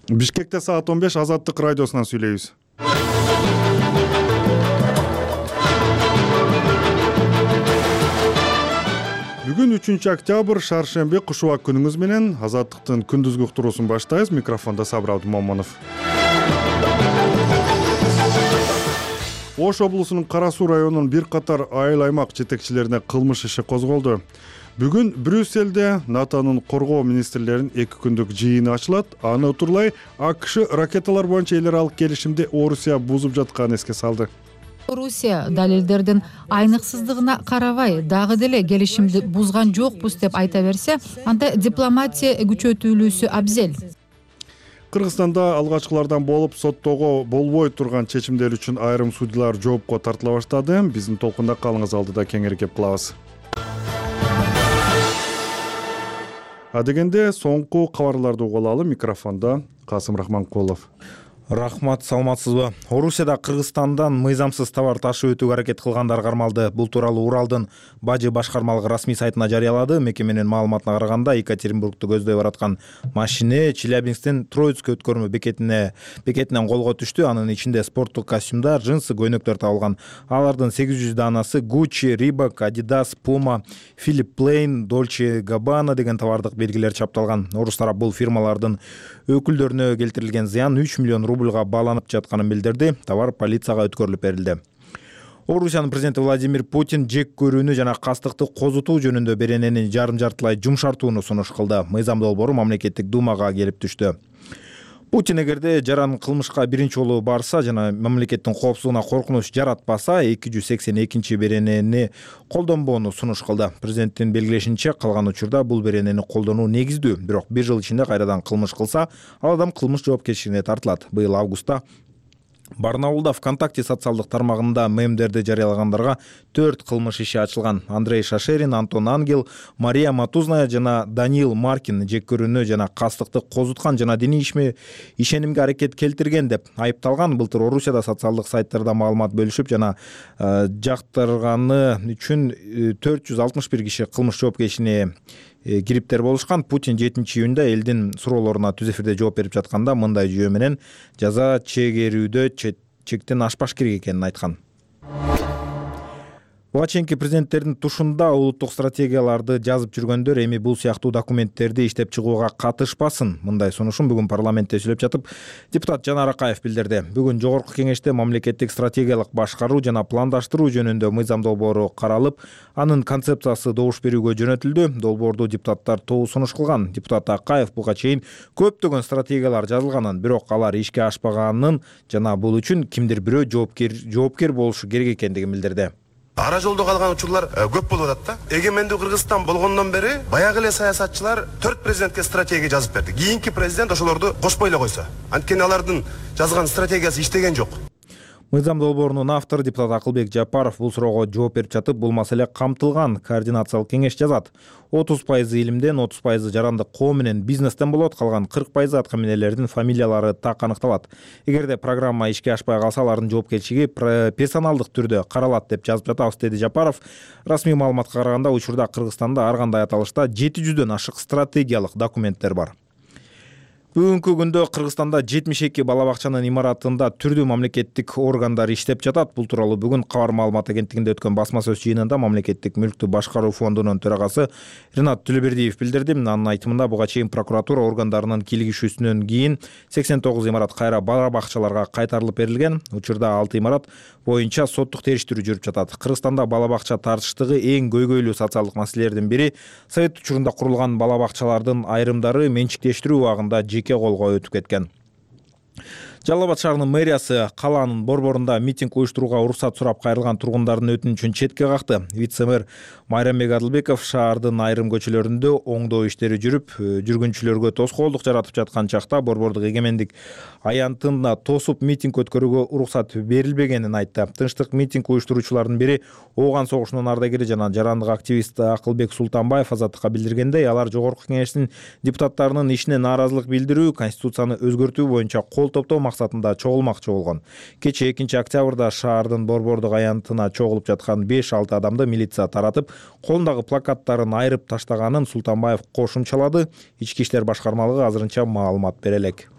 Бишкекте саат 15 Азаттык радиосунан сүйлөйбүз. Бүгүн 3-октябрь шаршемби кушубак күнүңүз менен Азаттыктын күндүзгү уктуруусун баштайбыз. Микрофондо Сабыр Абдумомунов. Ош облусунун Кара Суу районунун бир катар айыл аймак жетекчилерине кылмыш иши козголду. Бүгүн Брюссельде НАТОнун коргоо министрлеринин 2 күндүк жыйыны ачылат. Аны утурлай АКШ ракеталар боюнча эл аралык келишимди Орусия бузуп жатканын эске салды. Орусия далилдердин айныксыздыгына карабай дагы деле келишимди бузган жокпуз деп айта берсе, анда дипломатия күчөтүлүүсү абзел. Кыргызстанда алгачкылардан болуп соттоого болбой турган чечимдер үчүн айрым судьялар жоопко тартыла баштады. Биздин толкунда калыңыз, алдыда кеңири кеп кылабыз. Адегенде соңку кабарларды угуп алалы. Микрофондо Касым Рахманкулов. Рахмат, саламатсызбы? Орусияда Кыргызстандан мыйзамсыз товар ташып өтүүгө аракет кылгандар кармалды. Бул тууралуу Уралдын Бажы башкармалыгы расмий сайтына жарыялады. Мекеменин маалыматына караганда, Екатеринбургду көздөй бараткан машине Челябинсктин Троицк өткөрмө бекетинен колго түштү. Анын ичинде спорттук костюмдар, джинсы, көйнөктөр табылган. Алардын 800 данасы Gucci, Reebok, Adidas, Puma, Philip Plein, Dolce & Gabbana деген товардык белгилер чапталган. Орус тарап бул фирмалардын өкүлдөрүнө келтирилген зыян 3 миллион рубльга бааланып жатканын билдирди. Товар полицияга өткөрүлүп берилди. Орусиянын президенти Владимир Путин жек көрүүнү жана кастыкты козутуу жөнүндө беренени жарым-жартылай жумшартууну сунуш кылды. Мыйзам долбоору мамлекеттик думага келип түштү. Путин эгерде жаран кылмышка биринчи жолу барса жана мамлекеттин коопсуздугуна коркунуч жаратпаса 282 беренени колдонбоону сунуш кылды. Президенттин белгилешинче, калган учурда бул беренени колдонуу негиздүү. Бирок 1 жыл ичинде кайрадан кылмыш кылса, ал адам кылмыш жоопкерчилигине тартылат. Быйыл августта Барнаулда ВКонтакте социалдык тармагында мемдерди жарыялагандарга 4 кылмыш иши ачылган. Андрей Шашерин, Антон Ангел, Мария Матузная жана Даниил Маркин жек көрүүнү жана кастыкты козуткан жана диний ишенимге аракет келтирген деп айыпталган. Былтыр Орусияда социалдык сайттарда маалымат бөлүшүп жана жактырганы үчүн 461 киши кылмыш жоопкерчилигине кириптер болушкан. Путин 7-июнда элдин суроолоруна түз эфирде жооп берип жатканда мындай жүйө менен жаза чегерүүдө чектен ашпаш керек экенин айткан. Буга чейинки президенттердин тушунда улуттук стратегияларды жазып жүргөндөр эми бул сыяктуу документтерди иштеп чыгууга катышпасын. Мындай сунушун бүгүн парламентте сүйлөп жатып депутат Жанар Акаев билдирди. Бүгүн жогорку кеңеште мамлекеттик стратегиялык башкаруу жана пландаштыруу жөнүндө мыйзам долбоору каралып, анын концепциясы добуш берүүгө жөнөтүлдү. Долбоорду депутаттар тобу сунуш кылган. Депутат Акаев буга чейин көптөгөн стратегиялар жазылганын, бирок алар ишке ашпаганын жана бул үчүн кимдир бирөө жоопкер болушу керек экендигин билдирди. Ара жолдо калган учурлар көп болуп атат да. Эгемендүү Кыргызстан болгондон бери баягы эле саясатчылар 4 президентке стратегия жазып берди. Кийинки президент ошолорду кошпой эле койсо. Анткени алардын жазган стратегиясы иштеген жок. Мыйзам долбоорунун автору депутат Акылбек Жапаров бул суроого жооп берип жатып, бул маселе камтылган. Координациялык кеңеш жазат. 30% илимден, 30% жарандык коо менен бизнестен болот, калган 40% атка минелердин фамилиялары так аныкталат. Эгерде программа ишке ашпай калса, алардын жоопкерчилиги персоналдык түрдө каралат деп жазып жатабыз, деди Жапаров. Расмий маалыматка караганда, учурда Кыргызстанда ар кандай аталышта 700дөн ашык стратегиялык документтер бар. Бүгүнкү күндө Кыргызстанда 72 бала бакчанын имаратында түрдүү мамлекеттик органдар иштеп жатат. Бул тууралуу бүгүн Кабар маалымат агенттигинде өткөн басма сөз жыйынында мамлекеттик мүлктү башкаруу фондунун төрагасы Ринат Түлөбердиев билдирди. Анын айтымында буга чейин прокуратура органдарынын кийлигишүүсүнөн кийин 89 имарат кайра бала бакчаларга кайтарылып берилген. Учурда 6 имарат боюнча соттук териштирүү жүрүп жатат. Кыргызстанда бала бакча тартыштыгы эң көйгөйлүү социалдык маселелердин бири. Совет учурунда курулган бала бакчалардын айрымдары менчиктештирүү убагында жеке колго өтүп кеткен. Жалал Абад шаарынын мэриясы калаанын борборунда митинг уюштурууга уруксат сурап кайрылган тургундардын өтүнүчүн четке какты. Вице-мэр Майрамбек Адылбеков шаардын айрым көчөлөрүндө оңдоо иштери жүрүп, жүргүнчүлөргө тоскоолдук жаратып жаткан чакта борбордук эгемендик аянтында тосуп митинг өткөрүүгө уруксат берилбегенин айтты. Тынчтык митинг уюштуруучулардын бири Ооган согушунун ардагери жана жарандык активист Акылбек Султанбаев Азаттыкка билдиргендей, алар жогорку кеңештин депутаттарынын ишине нааразылык билдирүү, конституцияны өзгөртүү боюнча кол топтоо максатында чогулмакчы болгон. Кечээ 2-октябрда шаардын борбордук аянтына чогулуп жаткан 5-6 адамды милиция таратып, колундагы плакаттарын айрып таштаганын Султанбаев кошумчалады. Ички иштер башкармалыгы азырынча маалымат бере элек.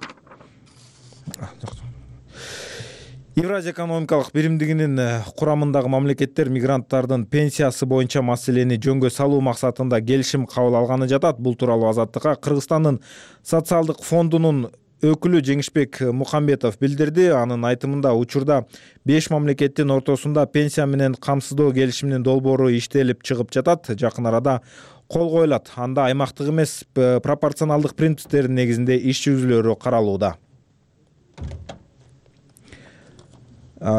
Евразия экономикалык биримдигинин курамындагы мамлекеттер мигранттардын пенсиясы боюнча маселени жөнгө салуу максатында келишим кабыл алганы жатат. Бул тууралуу Азаттыкка Кыргызстандын социалдык фондунун өкүлү Жеңишбек Мухамбетов билдирди. Анын айтымында учурда 5 мамлекеттин ортосунда пенсия менен камсыздоо келишиминин долбоору иштелип чыгып жатат. Жакын арада кол коюлат. Анда аймактык эмес пропорционалдык принциптердин негизинде иш жүзүүлөрү каралууда.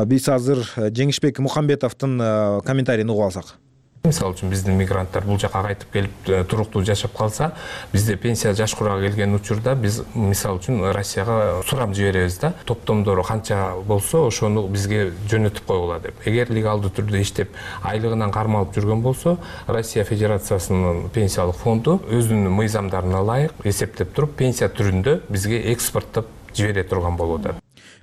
Биз азыр Жеңишбек Мухамбетовдун комментарийин угуп алсак. Мисалы үчүн биздин мигранттар бул жака кайтып келип туруктуу жашап калса, бизде пенсия жаш курага келген учурда биз мисалы үчүн Россияга сурам жиберебиз да. Топтомдору канча болсо, ошону бизге жөнөтүп койгула деп. Эгер легалдуу түрдө иштеп, айлыгынан кармалып жүргөн болсо, Россия Федерациясынын пенсиялык фонду өзүнүн мыйзамдарына ылайык эсептеп туруп, пенсия түрүндө бизге экспорттоп жибере турган болот.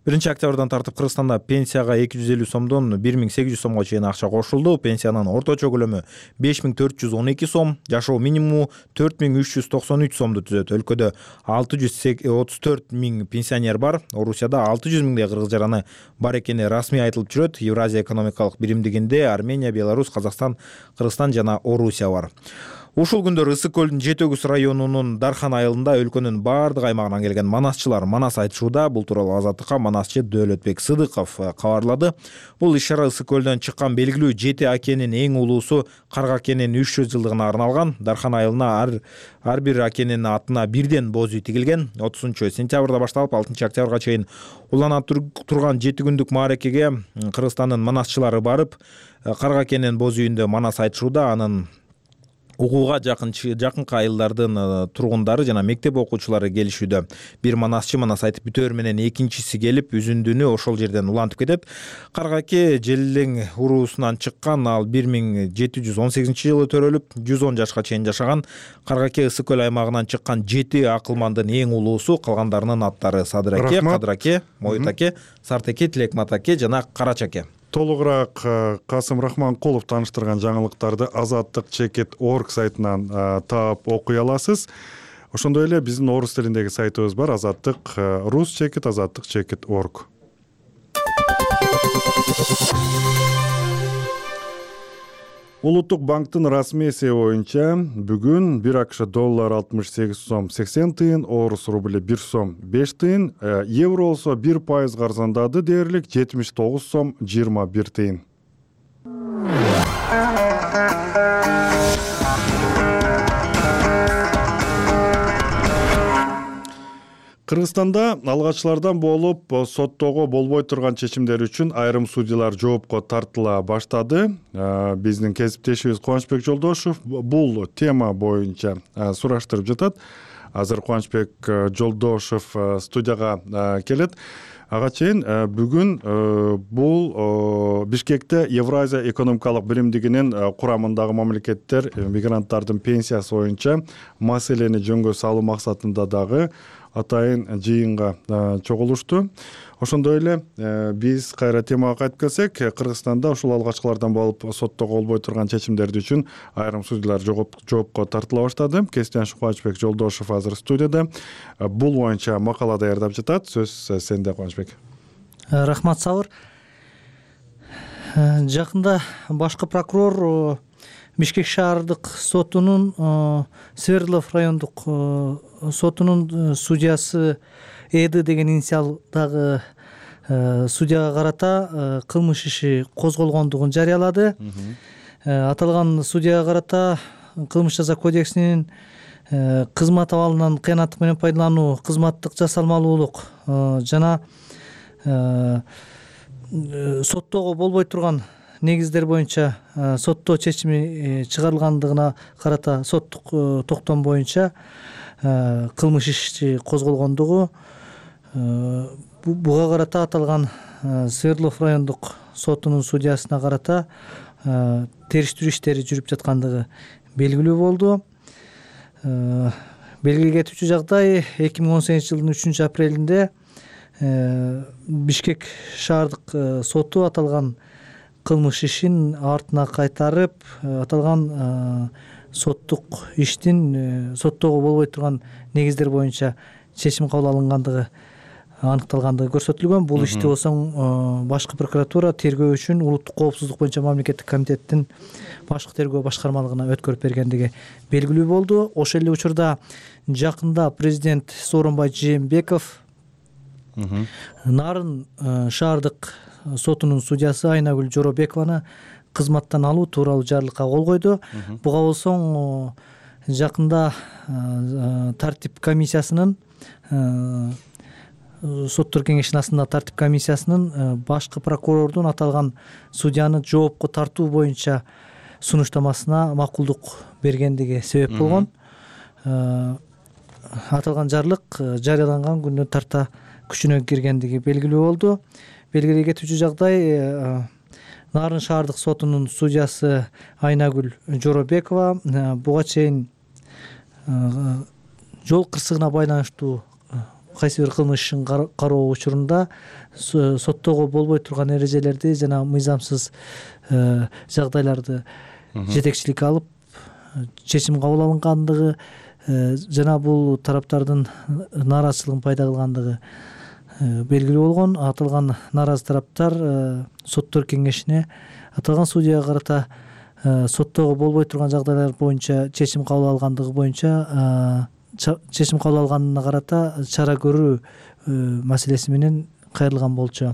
1 октябрдан тартып Кыргызстанда пенсияга 250 сомдон 1800 сомго чейин акча кошулду. Пенсиянын орточо көлөмү 5412 сом, жашоо минимуму 4393 сомду түзөт. Өлкөдө 634 миң пенсионер бар. Орусияда 600 миңдей кыргыз жараны бар экени расмий айтылып жүрөт. Евразия экономикалык биримдигинде Армения, Беларусь, Казакстан, Кыргызстан жана Орусия бар. Ушул күндөр Ысык көлдүн Жетөгүз районунун Дархан айылында өлкөнүн баардык аймагынан келген манасчылар манас айтышууда. Бул тууралуу Азаттыкка манасчы Дөөлөтбек Сыдыков кабарлады. Бул иш-чара Ысык көлдөн чыккан белгилүү Жети акенин эң улуусу Карга акенин 300 жылдыгына арналган. Дархан айылына ар бир акенин атына бирден боз үй тигилген. 30-сентябрда башталып 6-октябрга чейин улана турган 7 күндүк мааракеге Кыргызстандын манасчылары барып, Карга акенин боз үйүндө манас айтышууда. Анын угууга жакынкы айылдардын тургундары жана мектеп окуучулары келишүүдө. Бир манасчы манас айтып бүтөөр менен экинчиси келип үзүндүнү ошол жерден улантып кетет. Каргаке Желлең уруусунан чыккан, ал 1718-жылы төрөлүп 110 жашка чейин жашаган. Каргаке Ысык көл аймагынан чыккан 7 акылмандын эң улуусу, калгандарынын аттары Садыраке, Кадыраке, Мойтаке, Сартеке, Тилекматаке жана Карачаке. Толугураак Касым Рахманкулов тааныштырган жаңылыктарды Azattik.org сайтынан таап окуй аласыз. Ошондой эле биздин орус тилиндеги сайтыбыз бар, Azattik.org. Улуттук банктын расмий эсеби боюнча бүгүн 1 АКШ доллар 68 сом 80 тыйын, орус рубли 1 сом 5 тыйын, евро болсо 1% арзандады дээрлик 79 сом 21 тыйын. Кыргызстанда алгачылардан болуп соттоого болбой турган чечимдер үчүн айрым судьялар жоопко тартыла баштады. Биздин кесиптешибиз Кубанычбек Жолдошов бул тема боюнча сураштырып жатат. Азыр Кубанычбек Жолдошов студияга келет. Ага чейин бүгүн бул Бишкекте Евразия экономикалык биримдигинин курамындагы мамлекеттер мигранттардын пенсиясы боюнча маселени жөнгө салуу максатында дагы атайын жыйынга чогулушту. Ошондой эле биз кайра темага кайтып келсек, Кыргызстанда ушул алгачкылардан болуп соттоого болбой турган чечимдер үчүн айрым судьялар жоопко тартыла баштады. Кесиптеш Кубанычбек Жолдошов азыр студияда. Бул боюнча макала даярдап жатат. Сөз сенде, Кубанычбек. Рахмат, Сабыр. Жакында башкы прокурор Бишкек шаардык сотунун Свердлов райондук сотунун судьясы Эды деген инициалдагы судьяга карата кылмыш иши козголгондугун жарыялады. Аталган судьяга карата кылмыш жаза кодексинин кызмат абалынан кыянаттык менен пайдалануу, кызматтык жасалмалуулук жана соттоого болбой турган негиздер боюнча соттоо чечими чыгарылгандыгына карата соттук токтом боюнча кылмыш иши козголгондугу, буга карата аталган Свердлов райондук сотунун судьясына карата териштирүү иштери жүрүп жаткандыгы белгилүү болду. Белгиле кетүүчү жагдай 2018-жылдын 3-апрелинде Бишкек шаардык соту аталган кылмыш ишин артына кайтарып, аталган соттук иштин соттоого болбой турган негиздер боюнча чечим кабыл алынгандыгы аныкталгандыгы көрсөтүлгөн. Бул ишти болсо башкы прокуратура тергөө үчүн улуттук коопсуздук боюнча мамлекеттик комитеттин башкы тергөө башкармалыгына өткөрүп бергендиги белгилүү болду. Ошол эле учурда жакында президент Сооронбай Жээнбеков Нарын шаардык сотунун судьясы Айнагүл Жоробекованы кызматтан алуу тууралуу жарлыкка кол койду. Буга болсоң жакында тартип комиссиясынын соттор кеңешинин астындагы тартип комиссиясынын башкы прокурордун аталган судьяны жоопко тартуу боюнча сунуштамасына макулдук бергендиги себеп болгон. Аталган жарлык жарыяланган күндөн тарта күчүнө киргендиги белгилүү болду. Белгилей кетүүчү жагдай, Нарын шаардык сотунун судьясы Айнагүл Жоробекова буга чейин жол кырсыгына байланыштуу кайсы бир кылмыш ишин кароо учурунда соттоого болбой турган эрежелерди жана мыйзамсыз жагдайларды жетекчиликке алып чечим кабыл алынгандыгы жана бул тараптардын нааразычылыгын пайда кылгандыгы белгилүү болгон. Аталган нааразы тараптар соттор кеңешине аталган судьяга карата соттоого болбой турган жагдайлар боюнча чечим кабыл алгандыгы боюнча чечим кабыл алганына карата чара көрүү маселеси менен кайрылган болчу.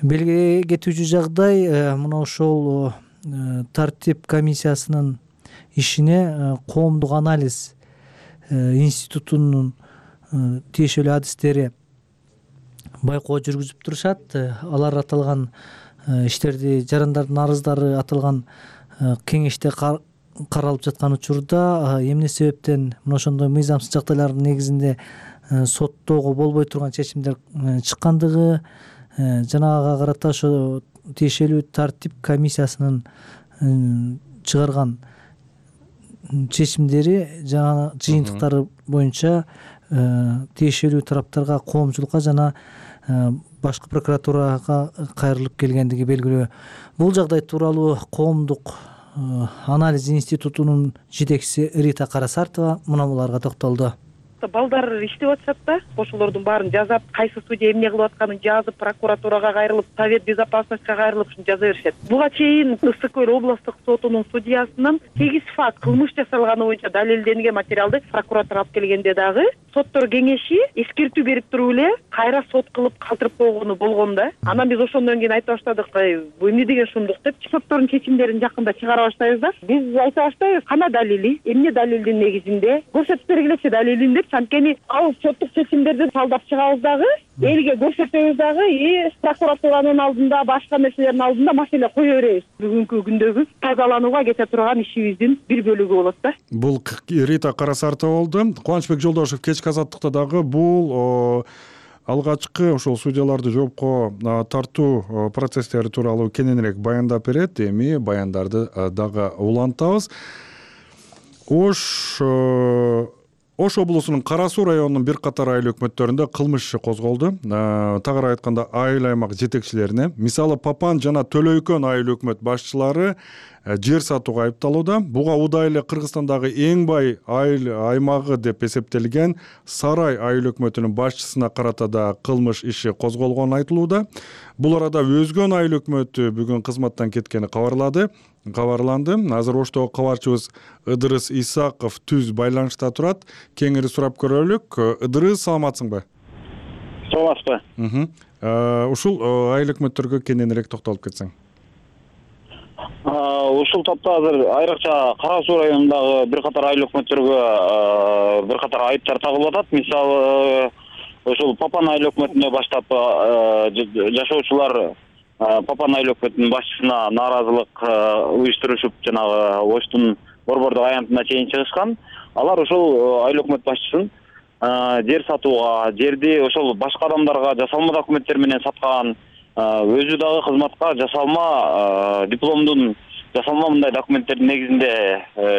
Белгилей кетүүчү жагдай, мына ошол тартип комиссиясынын ишине коомдук анализ институтунун тиешелүү адистери байкоо жүргүзүп турушат. Алар аталган иштерди жарандардын арыздары аталган кеңеште каралып жаткан учурда эмне себептен мына ошондой мыйзамсыз жагдайлардын негизинде соттоого болбой турган чечимдер чыккандыгы жана ага карата ошо тиешелүү тартип комиссиясынын чыгарган чечимдери жана жыйынтыктары боюнча тиешелүү тараптарга, коомчулукка жана башкы прокуратурага кайрылып келгендиги белгилүү. Бул жагдай тууралуу коомдук анализ институтунун жетекчиси Рита Карасартова мына буларга токтолду. Балдар иштеп атышат да, ошолордун баарын жазап, кайсы судья эмне кылып атканын жазып, прокуратурага кайрылып, Совет безопасностька кайрылып ушуну жаза беришет. Буга чейин Ысык Көл областтык сотунун судьясынын 8 факт кылмыш жасалганы боюнча далилденген материалды прокуратура алып келгенде дагы соттор кеңеши эскертүү берип туруп эле кайра сот кылып калтырып койгону болгон да. Анан биз ошондон кийин айта баштадык, бул эмне деген шумдук деп, соттордун чечимдерин жакында чыгара баштайбыз да. Биз айта баштайбыз, кана далили, эмне далилдин негизинде көрсөтүп бергилечи далилин деп, анткени ал соттук чечимдерди талдап чыгабыз дагы, элге көрсөтөбүз дагы, прокуратуранын алдында, башка нерселердин алдында маселе кое беребиз. Бүгүнкү күндөгү тазаланууга кете турган ишибиздин бир бөлүгү болот да. Бул Рита Карасартова болду. Кубанычбек Жолдошев кечки азаттыкта дагы бул алгачкы ошол судьяларды жоопко тартуу процесстери тууралуу кененирээк баяндап берет. Эми баяндарды дагы улантабыз. Ош облусунун Кара Суу районунун бир катар айыл өкмөттөрүндө кылмыш иши козголду. Тагыраак айтканда айыл аймак жетекчилерине, мисалы Папан жана Төлөйкөн айыл өкмөт башчылары жер сатууга айыпталууда. Буга удай эле Кыргызстандагы эң бай айыл аймагы деп эсептелген Сарай айыл өкмөтүнүн башчысына карата да кылмыш иши козголгону айтылууда. Бул арада Өзгөн айыл өкмөтү бүгүн кызматтан кеткени кабарланды. Азыр Оштогу кабарчыбыз Ыдырыс Исаков түз байланышта турат. Кеңири сурап көрөлүк. Ыдырыс, саламатсыңбы? Саламатсызбы. Ушул айыл өкмөттөргө кененирээк токтолуп кетсең. Ушул топто азыр айрыкча Кара Суу районундагы бир катар айыл өкмөттөргө бир катар айыптар тагылып атат. Мисалы, ошол Папан айыл өкмөтүнө баштап жашоочулар Папан айыл өкмөтүнүн башчысына нааразылык уюштурушуп, жанагы Оштун борбордук аянтына чейин чыгышкан. Алар ошол айыл өкмөт башчысын жер сатууга, жерди ошол башка адамдарга жасалма документтер менен саткан, өзү дагы кызматка жасалма дипломдун, жасалма мындай документтердин негизинде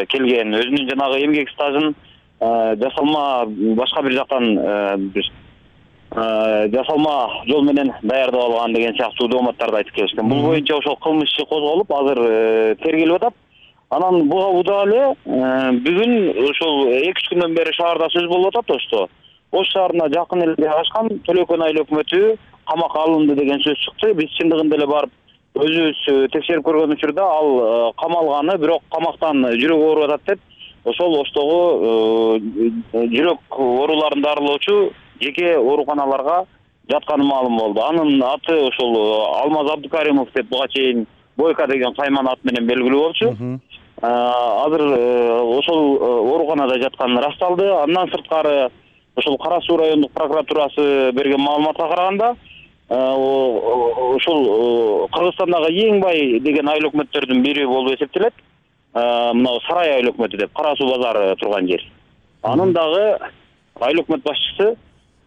келген, өзүнүн жанагы эмгек стажын жасалма башка бир жактан жасалма жол менен даярдап алган деген сыяктуу дооматтарды айтып келишкен. Бул боюнча ошол кылмыш иши козголуп, азыр тергелип атат. Анан буга удаа эле бүгүн ошол 2-3 күндөн бери шаарда сөз болуп атат Ошто. Ош шаарына жакын эле жайгашкан Төлөкөн айыл өкмөтү камакка алынды деген сөз чыкты. Биз чындыгында эле барып өзүбүз текшерип көргөн учурда ал камалганы, бирок камактан жүрөгү ооруп атат деп ошол Оштогу жүрөк ооруларын дарылоочу жеке ооруканаларга жатканы маалым болду. Анын аты ошол Алмаз Абдыкаримов деп буга чейин Бойко деген кайман ат менен белгилүү болчу. Азыр ошол ооруканада жатканы ырасталды. Андан сырткары ошол Кара Суу райондук прокуратурасы берген маалыматка караганда ошол Кыргызстандагы эң бай деген айыл өкмөттөрдүн бири болуп эсептелет. Мына Сарай айыл өкмөтү деп Кара Суу базары турган жер. Анын дагы айыл өкмөт башчысы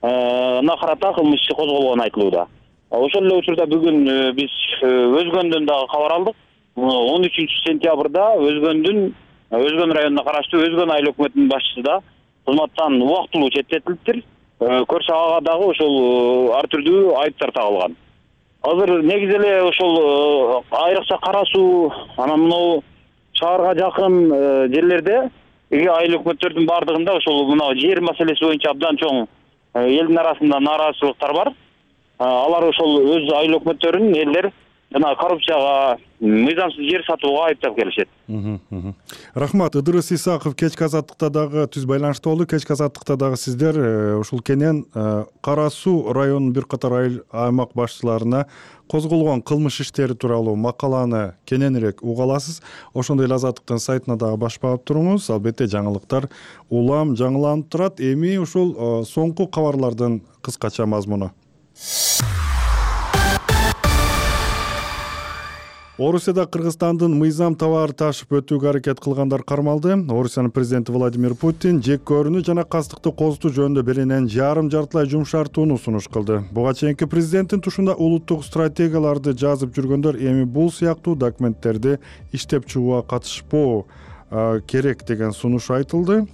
карата кылмыш иши козголгону айтылууда. Ошол эле учурда бүгүн биз Өзгөндөн дагы кабар алдык. 13-сентябрда Өзгөн районуна караштуу Өзгөн айыл өкмөтүнүн башчысы да кызматтан убактылуу четтетилиптир. Көршү ага дагы ошол ар түрдүү айыптар тагылган. Азыр негизи эле ошол айрыкча Кара Суу анан мына шаарга жакын жерлерде айыл өкмөттөрдүн бардыгында ошол мына жер маселеси боюнча абдан чоң элдин арасында нааразычылыктар бар. Алар ошол өз айыл өкмөттөрүн элдер жана коррупцияга, мыйзамсыз жер сатууга айыптап келишет. Рахмат. Ыдырыс Исаков кечки азаттыкта дагы түз байланышта болду. Кечки азаттыкта дагы сиздер ушул кенен Кара Суу районунун бир катар айыл аймак башчыларына козголгон кылмыш иштери тууралуу макаланы кененирээк уга аласыз. Ошондой эле Азаттыктын сайтына дагы баш баап туруңуз. Албетте жаңылыктар улам жаңыланып турат. Эми ушул соңку кабарлардын кыскача мазмуну. Орусияда Кыргызстандын мыйзам товары ташып өтүүгө аракет кылгандар кармалды. Орусиянын президенти Владимир Путин жек көрүүнү жана кастыкты козутуу жөнүндө беленен жартылай жумшартууну сунуш кылды. Буга чейинки президенттин тушунда улуттук стратегияларды жазып жүргөндөр эми бул сыяктуу документтерди иштеп чыгууга катышпоо керек деген сунуш айтылды.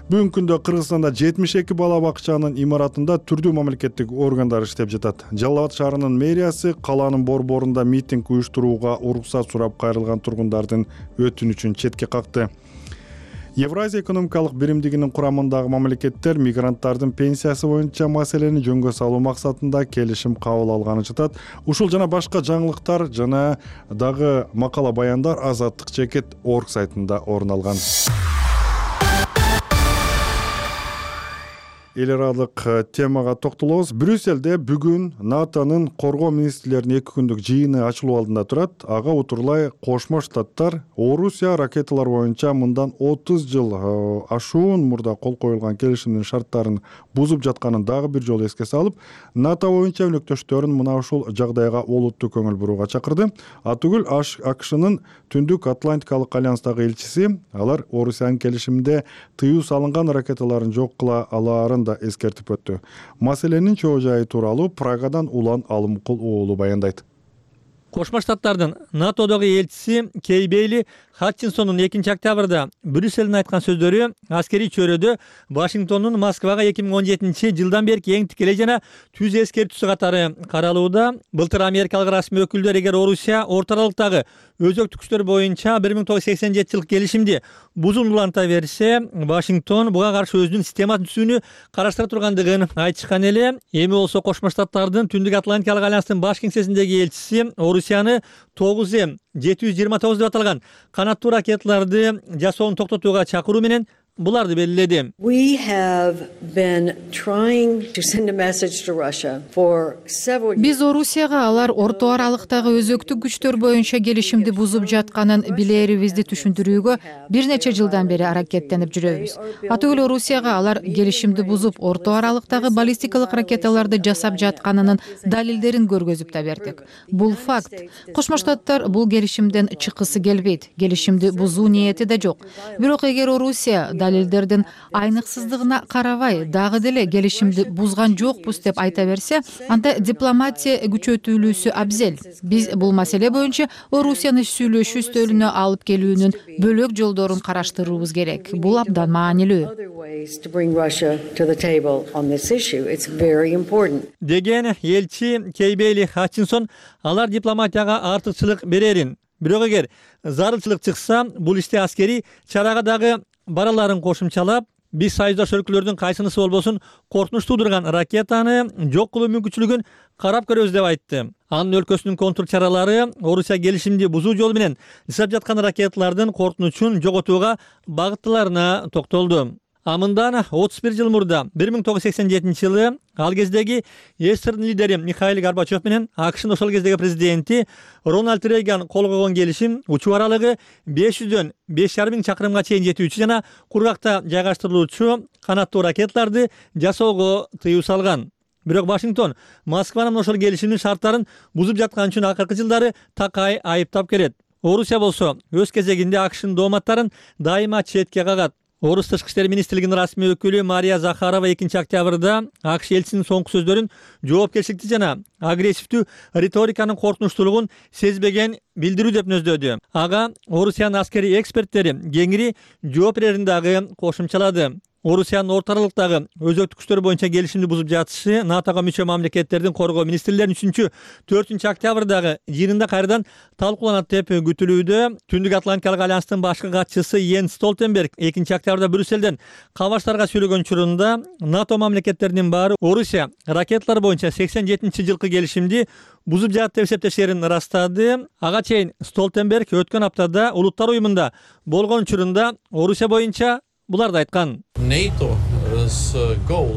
Бүгүнкү күндө Кыргызстанда 72 бала бакчанын имаратында түрдүү мамлекеттик органдар иштеп жатат. Жалал Абад шаарынын мэриясы калаанын борборунда митинг уюштурууга уруксат сурап кайрылган тургундардын өтүнүчүн четке какты. Евразия экономикалык биримдигинин курамындагы мамлекеттер мигранттардын пенсиясы боюнча маселени жөнгө салуу максатында келишим кабыл алганы жатат. Ушул жана башка жаңылыктар жана дагы макала баяндар Азаттык.org сайтында орун алган. Эл аралык темага токтолобуз. Брюсселде бүгүн НАТОнун коргоо министрлеринин 2 күндүк жыйыны ачылуу алдында турат. Ага утурлай Кошмо Штаттар Орусия ракеталар боюнча мындан 30 жыл ашуун мурда кол коюлган келишимдин шарттарын бузуп жатканын дагы бир жолу эске салып, НАТО боюнча өнөктөштөрүн мына ушул жагдайга олуттуу көңүл бурууга чакырды. Атүгүл АКШнын Түндүк Атлантикалык альянстагы элчиси алар Орусиянын келишимде тыюу салынган ракеталарын жок кыла алаарын да эскертип өттү. Маселенин чоо жайы тууралуу Прагадан Улан Алымкул уулу баяндайт. Кошмо Штаттардын НАТОдогу элчиси Кей Бейли Хатчинсондун 2-октябрда Брюссельдин айткан сөздөрү аскерий чөйрөдө Вашингтондун Москвага 2017-жылдан бери эң тикелей жана түз эскертүүсү катары каралууда. Былтыр америкалык расмий өкүлдөр эгер Орусия орто аралыктагы өзөктүк күчтөр боюнча 1987-жылкы келишимди бузуп уланта берсе, Вашингтон буга каршы өзүнүн системасын түзүүнү караштыра тургандыгын айтышкан эле. Эми болсо Кошмо Штаттардын Түндүк Атлантикалык альянстын баш кеңсесиндеги элчиси Орусияны 9М729 деп аталган канаттуу ракеталарды жасоону токтотууга чакыруу менен буларды белгиледи. Биз Орусияга алар орто аралыктагы өзөктүк күчтөр боюнча келишимди бузуп жатканын билерибизди түшүндүрүүгө бир нече жылдан бери аракеттенип жүрөбүз. Атүгүл Орусияга алар келишимди бузуп орто аралыктагы баллистикалык ракеталарды жасап жатканынын далилдерин көргөзүп да бердик. Бул факт. Кошмо Штаттар бул келишимден чыккысы келбейт. Келишимди бузуу ниети да жок. Бирок эгер Орусия далилдердин айныксыздыгына карабай дагы деле келишимди бузган жокпуз деп айта берсе, анда дипломатия күчөтүлүүсү абзел. Биз бул маселе боюнча Орусияны сүйлөшүү стөлүнө алып келүүнүн бөлөк жолдорун караштыруубуз керек. Бул абдан маанилүү. Деген элчи Кей Бейли Хатчинсон алар дипломатияга артыкчылык берерин. Бирок эгер зарылчылык чыкса, бул иште аскерий чарага дагы бараларын кошумчалап, биз союздаш өлкөлөрдүн кайсынысы болбосун коркунуч туудурган ракетаны жок кылуу мүмкүнчүлүгүн карап көрөбүз деп айтты. Анын өлкөсүнүн контур чаралары Орусия келишимди бузуу жолу менен жасап жаткан ракеталардын коркунучун жоготууга багыттыларына токтолду. Мындан 31 жыл мурда 1987-жылы ал кездеги СССРдин лидери Михаил Горбачев менен АКШнын ошол кездеги президенти Рональд Рейган кол койгон келишим учуу аралыгы 500дөн 5,5 миң чакырымга чейин жетүүчү жана кургакта жайгаштырылуучу канаттуу ракеталарды жасоого тыюу салган. Бирок Вашингтон Москванын ошол келишимдин шарттарын бузуп жаткан үчүн акыркы жылдары такай айыптап келет. Орусия болсо өз кезегинде АКШнын дооматтарын дайыма четке кагат. Орус тышкы иштер министрлигинин расмий өкүлү Мария Захарова 2-октябрда АКШ элчисинин соңку сөздөрүн жоопкерчиликтүү жана агрессивдүү риториканын коркунучтуулугун сезбеген билдирүү деп нөздөдү. Ага Орусиянын аскерий эксперттери кеңири жооп берерин дагы кошумчалады. Орусиянын орто аралыктагы өзөктүк күчтөр боюнча келишимди бузуп жатышы НАТОго мүчө мамлекеттердин коргоо министрлеринин 3-4 октябрдагы жыйынында кайрадан талкууланат деп күтүлүүдө. Түндүк Атлантикалык альянстын башкы катчысы Йенс Столтенберг 2-октябрда Брюссельден кабарчтарга сүйлөгөн учурунда НАТО мамлекеттеринин баары Орусия ракеталар боюнча 87-жылкы келишимди бузуп жатат деп эсептештерин ырастады. Ага чейин Столтенберг өткөн аптада Улуттар уюмунда болгон учурунда Орусия боюнча буларды айткан.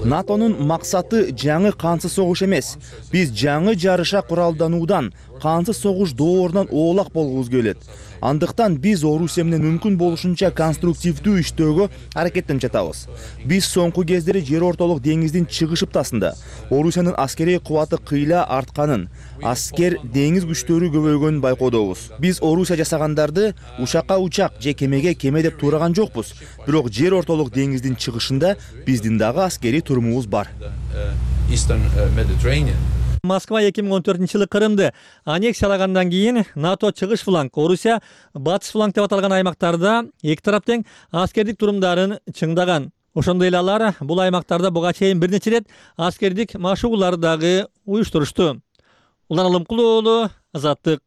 НАТОнун максаты жаңы кансыз согуш эмес. Биз жаңы жарыша куралдануудан, кансыз согуш доорунан оолак болгубуз келет. Андыктан биз Орусия менен мүмкүн болушунча конструктивдүү иштөөгө аракеттенип жатабыз. Биз соңку кездери жер ортолук деңиздин чыгыш ыптасында Орусиянын аскерий кубаты кыйла артканын, аскер деңиз күчтөрү көбөйгөнүн байкоодобуз. Биз Орусия жасагандарды учакка учак же кемеге кеме деп туураган жокпуз. Бирок жер ортолук деңиздин чыгышында биздин дагы аскерий турумубуз бар. Москва 2014-жылы Крымды аннексиялагандан кийин НАТО чыгыш фланг, Орусия батыш фланг деп аталган аймактарда эки тарап тең аскердик турумдарын чыңдаган. Ошондой эле алар бул аймактарда буга чейин бир нече рет аскердик машыгуулар дагы уюштурушту. Улан Алымкул уулу, Азаттык.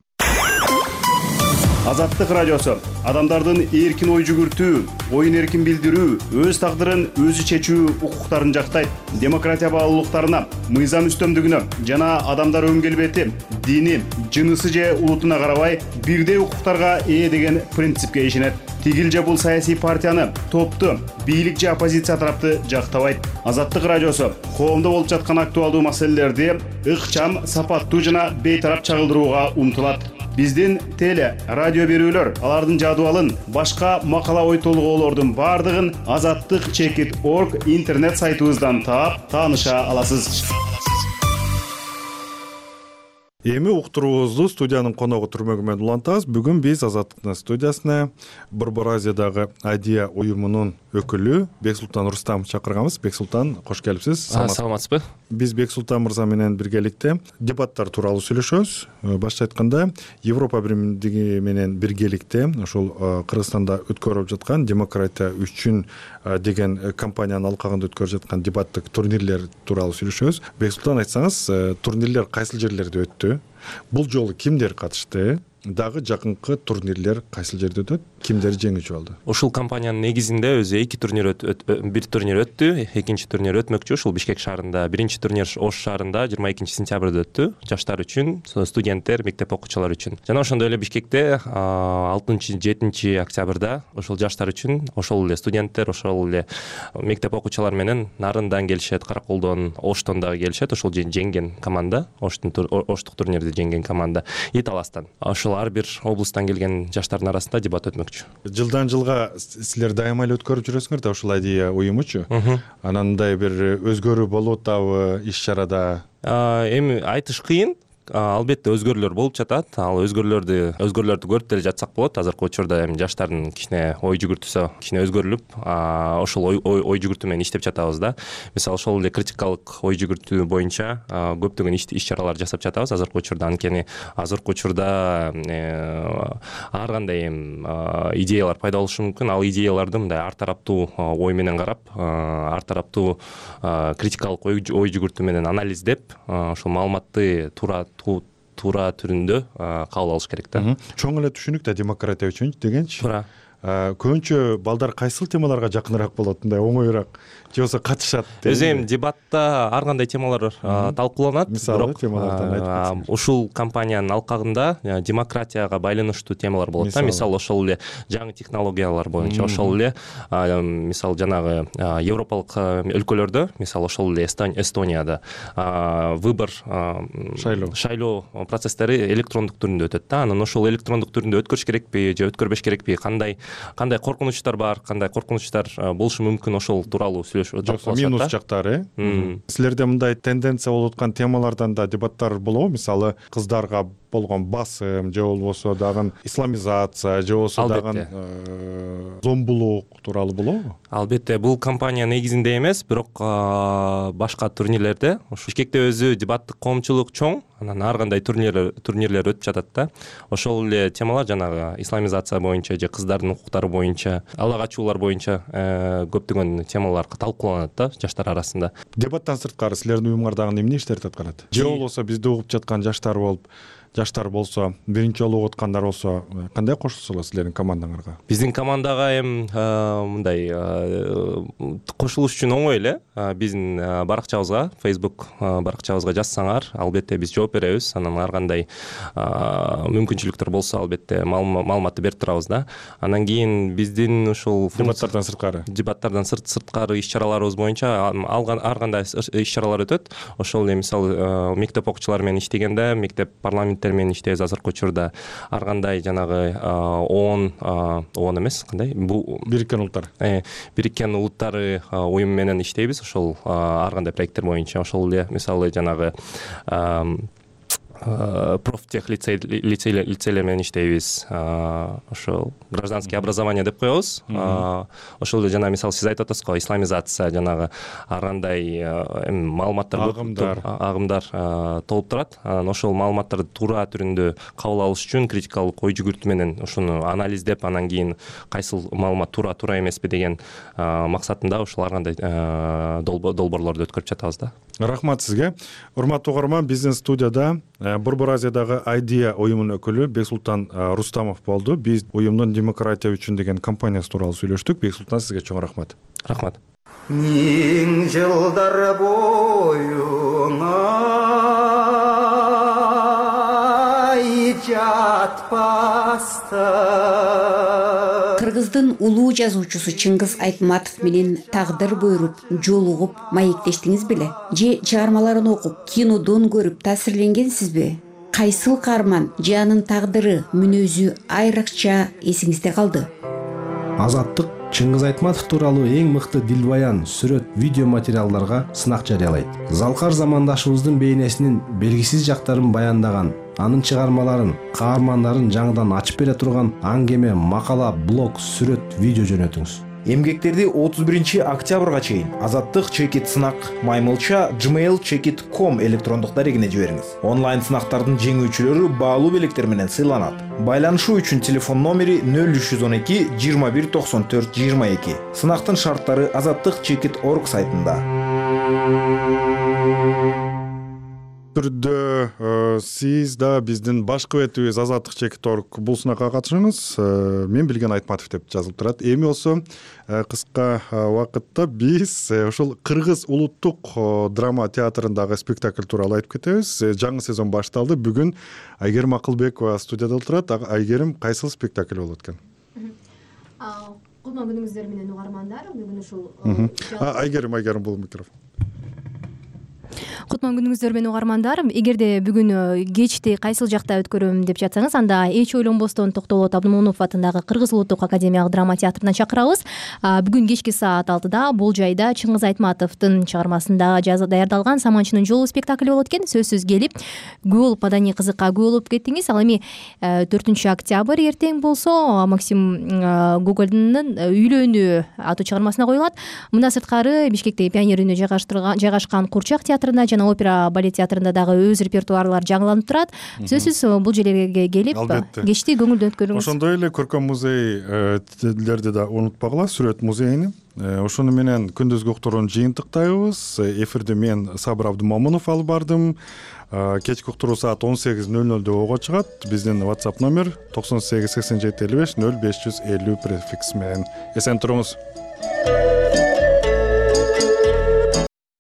Азаттык радиосу адамдардын эркин ой жүгүртүү, оюн эркин билдирүү, өз тагдырын өзү чечүү укуктарын жактайт. Демократия баалуулуктарына, мыйзам үстөмдүгүнө жана адамдар өн келбети, дини, жынысы же улутуна карабай бирдей укуктарга ээ деген принципке ишенет. Тигил же бул саясий партияны, топту, бийлик же оппозиция тарапты жактабайт. Азаттык радиосу коомдо болуп жаткан актуалдуу маселелерди ыкчам, сапаттуу жана бейтарап чагылдырууга умтулат. Биздин теле, радио берүүлөр, алардын жадыбалын, башка макала ой толгоолордун бардыгын azattik.org интернет сайтыбыздан таап, тааныша аласыз. Эми уктуруубузду студиянын коногу түрмөгү менен улантабыз. Бүгүн биз Азаттыктын студиясына Борбор Азиядагы Адия уюмунун өкүлү Бексултан Рустам чакырганбыз. Бексултан, кош келипсиз. Саламатсызбы? Биз Бексултан мырза менен биргеликте дебаттар тууралуу сүйлөшөбүз. Башкача айтканда, Европа биримдиги менен биргеликте ошол Кыргызстанда өткөрүлүп жаткан демократия үчүн деген компаниянын алкагында өткөрүлүп жаткан дебаттык турнирлер тууралуу сүйлөшөбүз. Бексултан, айтсаңыз, турнирлер кайсыл жерлерде өттү? Бул жолу кимдер катышты? Дагы жакынкы турнирлер кайсыл жерде өтөт? Кимдер жеңүүчү болду? Ушул компаниянын негизинде өзү эки турнир бир турнир өттү, экинчи турнир өтмөкчү. Ушул Бишкек шаарында, биринчи турнир Ош шаарында 22-сентябрда өттү. Жаштар үчүн, студенттер, мектеп окуучулары үчүн. Жана ошондой эле Бишкекте 6-7 октябрда ошол жаштар үчүн, ошол эле студенттер, ошол эле мектеп окуучулары менен Нарындан келишет, Караколдон, Оштон дагы келишет. Ошол жеңген команда, Оштук турнирди жеңген команда Италастан. Ошол ар бир облустан келген жаштардын арасында дебат өтмөкчү. Жылдан жылга силер дайыма эле өткөрүп жүрөсүңөр да ушул Адия уюмучу. Анандай бир өзгөрүү болуп атабы иш чарада? Эми айтыш кыйын. Албетте өзгөрүүлөр болуп жатат. Ал өзгөрүүлөрдү көрүп деле жатсак болот. Азыркы учурда эми жаштардын кичине ой жүгүртүүсү кичине өзгөрүлүп, ошол ой жүгүртүү менен иштеп жатабыз да. Мисалы, ошол эле критикалык ой жүгүртүү боюнча көптөгөн иш-чаралар жасап жатабыз азыркы учурда. Анткени азыркы учурда ар кандай идеялар пайда болушу мүмкүн. Ал идеяларды мындай ар тараптуу ой менен карап, ар тараптуу критикалык ой жүгүртүү менен анализдеп, ошол маалыматты туура түрүндө кабыл алыш керек да. Чоң эле түшүнүк да демократия үчүн дегенчи. Туура. көбүнчө балдар кайсыл темаларга жакыныраак болот, мындай оңоюраак же болбосо катышат? Өзү эми дебатта ар кандай темалар талкууланат. Мисалы темалардан айтып кетсеңиз. Ушул кампаниянын алкагында демократияга байланыштуу темалар болот да. Мисалы ошол эле жаңы технологиялар боюнча, ошол эле мисалы жанагы европалык өлкөлөрдө, мисалы ошол эле Эстонияда выбор шайлоо процесстери электрондук түрүндө өтөт да. Анан ошол электрондук түрүндө өткөрүш керекпи же өткөрбөш керекпи, кандай коркунучтар бар, кандай коркунучтар болушу мүмкүн, ошол тууралуу жоксо минус жактары. Силерде мындай тенденция болуп аткан темалардан да дебаттар болобу? Мисалы кыздарга болгон басым же болбосо дагы исламизация же болбосо дагы зомбулук тууралуу болобу? Албетте, бул компания негизинде эмес, бирок башка турнирлерде ушу Бишкекте өзү дебаттык коомчулук чоң, анан ар кандай турнирлер өтүп жатат да. Ошол эле темалар жанагы исламизация боюнча же кыздардын укуктары боюнча, ала качуулар боюнча көптөгөн темалар талкууланат да жаштар арасында. Дебаттан сырткары силердин уюмуңар дагы эмне иштерди аткарат? Же болбосо бизди угуп жаткан жаштар болсо, биринчи жолу угуп аткандар болсо, кандай кошулсалар силердин командаңарга? Биздин командага эми мындай кошулуш үчүн оңой эле. Биздин баракчабызга, Facebook баракчабызга жазсаңар, албетте биз жооп беребиз. Анан ар кандай мүмкүнчүлүктөр болсо, албетте маалыматты берип турабыз да. Анан кийин биздин ушул дебаттардан сырткары иш-чараларыбыз боюнча ар кандай иш-чаралар өтөт. Ошол эле мисалы мектеп окуучулары менен иштегенде, мектеп парламенттер менен иштейбиз азыркы учурда. Ар кандай жанагы ООН эмес, кандай? Бул Бириккен Улуттар. Бириккен Улуттары уюму менен иштейбиз. Ошол ар кандай проекттер боюнча, ошол эле мисалы жанагы профтех лицейлер менен иштейбиз. Ошол гражданское образование деп коебуз. Ошол эле жана мисалы сиз айтып атасыз го, исламизация, жанагы ар кандай маалыматтар, агымдар толуп турат. Анан ошол маалыматтарды туура түрүндө кабыл алыш үчүн критикалык ой жүгүртүү менен ошону анализдеп, анан кийин кайсыл маалымат туура эмеспи деген максатында ошол ар кандай долбоорлорду өткөрүп жатабыз да. Рахмат сизге. Урматтуу угарман, биздин студияда Борбор Азиядагы Idea уюмунун өкүлү Бексултан Рустамов болду. Биз уюмдун демократия үчүн деген компаниясы тууралуу сүйлөштүк. Бексултан, сизге чоң рахмат. Рахмат. Миң жылдар боюна жатпастан Кыргыздын улуу жазуучусу Чыңгыз Айтматов менен тагдыр буйруп жолугуп маектештиңиз беле? Же чыгармаларын окуп, кинодон көрүп таасирленгенсизби? Кайсыл каарман же анын тагдыры, мүнөзү айрыкча эсиңизде калды? Азаттык Чыңгыз Айтматов тууралуу эң мыкты дилбаян, сүрөт, видео материалдарга сынак жарыялайт. Залкар замандашыбыздын бейнесинин белгисиз жактарын баяндаган, анын чыгармаларын, каармандарын жаңыдан ачып бере турган аңгеме, макала, блог, сүрөт, видео жөнөтүңүз. Эмгектерди 31 октябрга чейин Азаттык чекит сынак маймылча gmail.com электрондук дарегине жибериңиз. Онлайн сынактардын жеңүүчүлөрү баалуу белектер менен сыйланат. Байланышуу үчүн телефон номери 0312 21 94 22. Сынактын шарттары azattikchekit.org сайтында. Түрдө сиз да биздин башкы бетибиз azattikchekit.org бул сынакка катышыңыз. Мен билген Айтматов деп жазылып турат. Эми болсо кыска убакытта биз ушул Кыргыз улуттук драма театрындагы спектакль тууралуу айтып кетебиз. Жаңы сезон башталды. Бүгүн Айгерим Акылбекова студияда отурат. Айгерим, кайсыл спектакль болот экен? Кутман күнүңүздөр менен угармандар. Бүгүн ушул Айгерим бул микрофон. Кутман күнүңүздөр менен угармандар. Эгерде бүгүн кечти кайсыл жакта өткөрөм деп жатсаңыз, анда эч ойлонбостон Токтолот Абдымомунов атындагы Кыргыз улуттук академиялык драма театрынан чакырабыз. Бүгүн кечки саат 6-да бул жайда Чыңгыз Айтматовдун чыгармасында даярдалган Саманчынын жолу спектакли болот экен. Сөзсүз келип, күбө болуп маданий кызыкка күбө болуп кеттиңиз. Ал эми 4 октябрь эртең болсо Максим Гогольдун Үйлөнүү аттуу чыгармасына коюлат. Мындан сырткары Бишкекте Пионер үйүнө жайгашкан Курчак театрында жана опера балет театрында дагы өз репертуарлар жаңыланып турат. Сөзсүз бул жерлерге келип кечти көңүлдүү өткөрүңүз. Ошондой эле көркөм музейлерди да унутпагыла, сүрөт музейини. ошону менен күндүзгү уктуруну жыйынтыктайбыз. Эфирди мен Сабыр Абдымомунов алып бардым. Кечки уктуруу саат 18:00 ого чыгат. Биздин WhatsApp номер 98 87 55 0550 префикс менен. Эсен туруңуз.